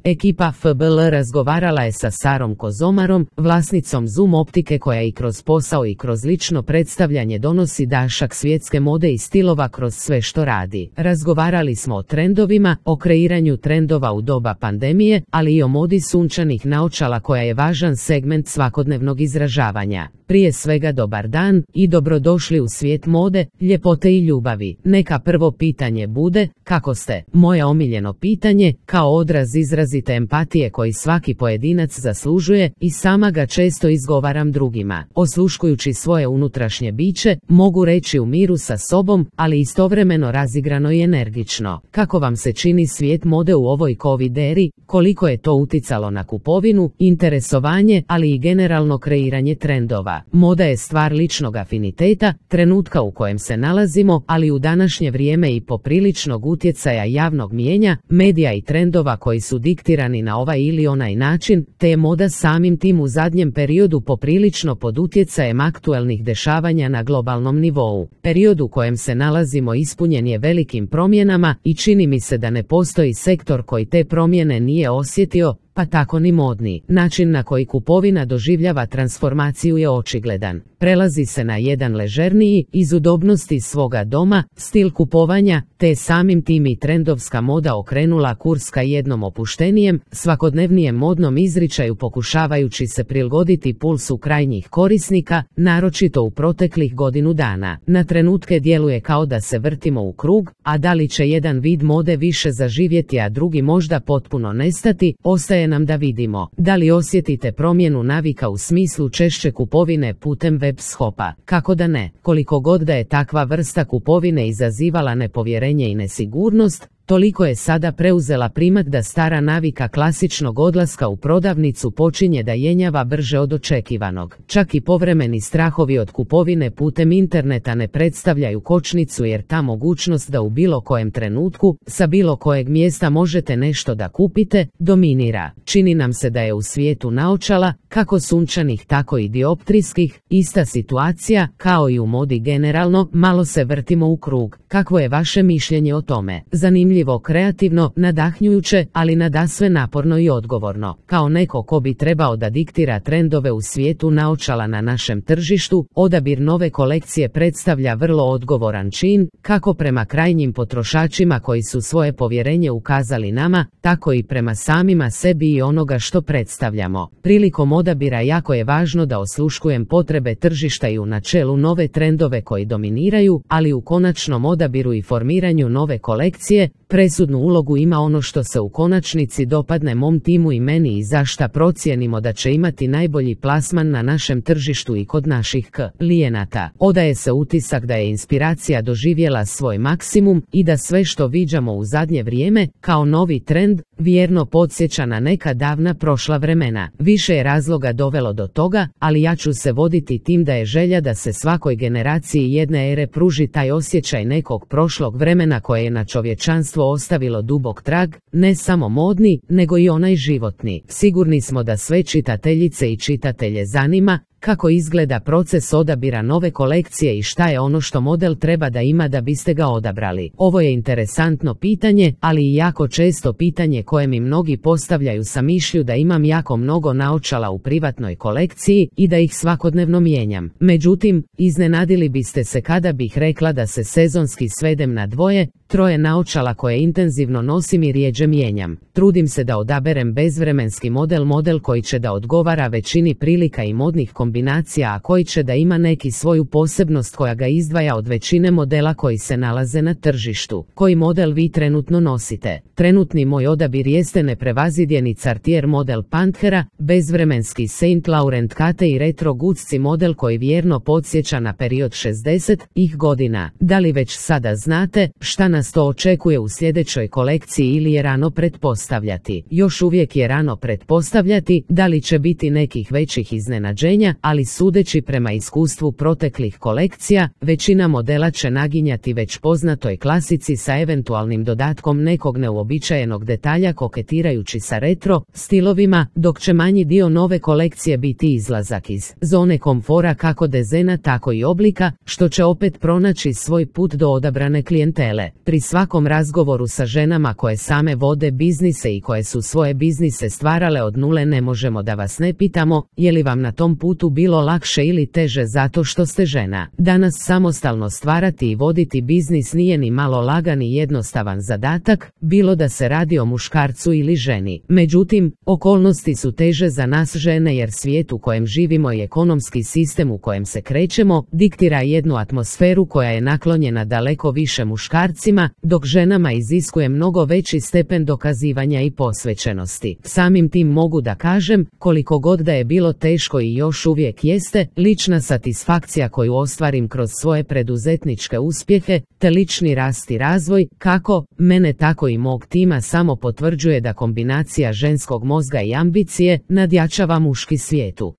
Ekipa FBL razgovarala je sa Sarom Kozomarom, vlasnicom Zoom optike koja i kroz posao i kroz lično predstavljanje donosi dašak svjetske mode i stilova kroz sve što radi. Razgovarali smo o trendovima, o kreiranju trendova u doba pandemije, ali i o modi sunčanih naočala koja je važan segment svakodnevnog izražavanja. Prije svega dobar dan i dobrodošli u svijet mode, ljepote i ljubavi. Neka prvo pitanje bude, kako ste? Moje omiljeno pitanje, kao odraz izrazite empatije koji svaki pojedinac zaslužuje i sama ga često izgovaram drugima. Osluškujući svoje unutrašnje biće, mogu reći u miru sa sobom, ali istovremeno razigrano i energično. Kako vam se čini svijet mode u ovoj covid eri, koliko je to uticalo na kupovinu, interesovanje, ali i generalno kreiranje trendova? Moda je stvar ličnog afiniteta, trenutka u kojem se nalazimo, ali u današnje vrijeme i popriličnog utjecaja javnog mijenja, medija i trendova koji su diktirani na ovaj ili onaj način, te je moda samim tim u zadnjem periodu poprilično pod utjecajem aktuelnih dešavanja na globalnom nivou. Period u kojem se nalazimo ispunjen je velikim promjenama i čini mi se da ne postoji sektor koji te promjene nije osjetio, pa tako ni modni. Način na koji kupovina doživljava transformaciju je očigledan. Prelazi se na jedan ležerniji, iz udobnosti svoga doma, stil kupovanja, te samim tim i trendovska moda okrenula kurs ka jednom opuštenijem, svakodnevnijem modnom izričaju pokušavajući se prilagoditi pulsu krajnjih korisnika, naročito u proteklih godinu dana. Na trenutke djeluje kao da se vrtimo u krug, a da li će jedan vid mode više zaživjeti, a drugi možda potpuno nestati, ostaje nam da vidimo. Da li osjetite promjenu navika u smislu češće kupovine putem web shopa? Kako da ne? Koliko god da je takva vrsta kupovine izazivala nepovjerenje i nesigurnost, toliko je sada preuzela primat da stara navika klasičnog odlaska u prodavnicu počinje da jenjava brže od očekivanog. Čak i povremeni strahovi od kupovine putem interneta ne predstavljaju kočnicu, jer ta mogućnost da u bilo kojem trenutku, sa bilo kojeg mjesta možete nešto da kupite, dominira. Čini nam se da je u svijetu naočala, kako sunčanih tako i dioptrijskih, ista situacija, kao i u modi generalno, malo se vrtimo u krug. Kakvo je vaše mišljenje o tome? Zanimljivo, kreativno, nadahnjujuće, ali nadasve naporno i odgovorno. Kao neko ko bi trebao da diktira trendove u svijetu naočala na našem tržištu, odabir nove kolekcije predstavlja vrlo odgovoran čin, kako prema krajnjim potrošačima koji su svoje povjerenje ukazali nama, tako i prema samima sebi i onoga što predstavljamo. Prilikom odabira jako je važno da osluškujem potrebe tržišta i u načelu nove trendove koji dominiraju, ali u konačnom odabiru i formiranju nove kolekcije, presudnu ulogu ima ono što se u konačnici dopadne mom timu i meni i za šta procijenimo da će imati najbolji plasman na našem tržištu i kod naših klijenata. Odaje se utisak da je inspiracija doživjela svoj maksimum i da sve što viđamo u zadnje vrijeme, kao novi trend, vjerno podsjeća na neka davna prošla vremena. Više je razloga dovelo do toga, ali ja ću se voditi tim da je želja da se svakoj generaciji jedne ere pruži taj osjećaj nekog prošlog vremena koje je na čovječanstvo ostavilo dubok trag, ne samo modni, nego i onaj životni. Sigurni smo da sve čitateljice i čitatelje zanima kako izgleda proces odabira nove kolekcije i šta je ono što model treba da ima da biste ga odabrali. Ovo je interesantno pitanje, ali i jako često pitanje koje mi mnogi postavljaju sa mišlju da imam jako mnogo naočala u privatnoj kolekciji i da ih svakodnevno mijenjam. Međutim, iznenadili biste se kada bih rekla da se sezonski svedem na 2, 3 naočala koje intenzivno nosim i rijeđe mijenjam. Trudim se da odaberem bezvremenski model koji će da odgovara većini prilika i modnih kombinacija, a koji će da ima neki svoju posebnost koja ga izdvaja od većine modela koji se nalaze na tržištu. Koji model vi trenutno nosite? Trenutni moj odabir jeste neprevazidjeni Cartier model Panthera, bezvremenski Saint Laurent Kate i retro Gucci model koji vjerno podsjeća na period 60-ih godina. Da li već sada znate šta nas to očekuje u sljedećoj kolekciji ili je rano pretpostavljati? Još uvijek je rano pretpostavljati. Da li će biti nekih većih iznenađenja, ali sudeći prema iskustvu proteklih kolekcija, većina modela će naginjati već poznatoj klasici sa eventualnim dodatkom nekog neuobičajenog detalja koketirajući sa retro stilovima, dok će manji dio nove kolekcije biti izlazak iz zone komfora kako dizajna tako i oblika, što će opet pronaći svoj put do odabrane klijentele. Pri svakom razgovoru sa ženama koje same vode biznise i koje su svoje biznise stvarale od nule ne možemo da vas ne pitamo, je li vam na tom putu bilo lakše ili teže zato što ste žena. Danas samostalno stvarati i voditi biznis nije ni malo lagan i jednostavan zadatak, bilo da se radi o muškarcu ili ženi. Međutim, okolnosti su teže za nas žene jer svijet u kojem živimo i ekonomski sistem u kojem se krećemo diktira jednu atmosferu koja je naklonjena daleko više muškarcima, dok ženama iziskuje mnogo veći stepen dokazivanja i posvećenosti. Samim tim mogu da kažem, koliko god da je bilo teško i još uvijek jeste, lična satisfakcija koju ostvarim kroz svoje preduzetničke uspjehe, te lični rast i razvoj, kako mene tako i mog tima samo potvrđuje da kombinacija ženskog mozga i ambicije nadjačava muški svijetu.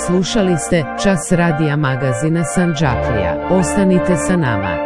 Slušali ste Čas radija magazina Sandžaklija. Ostanite sa nama.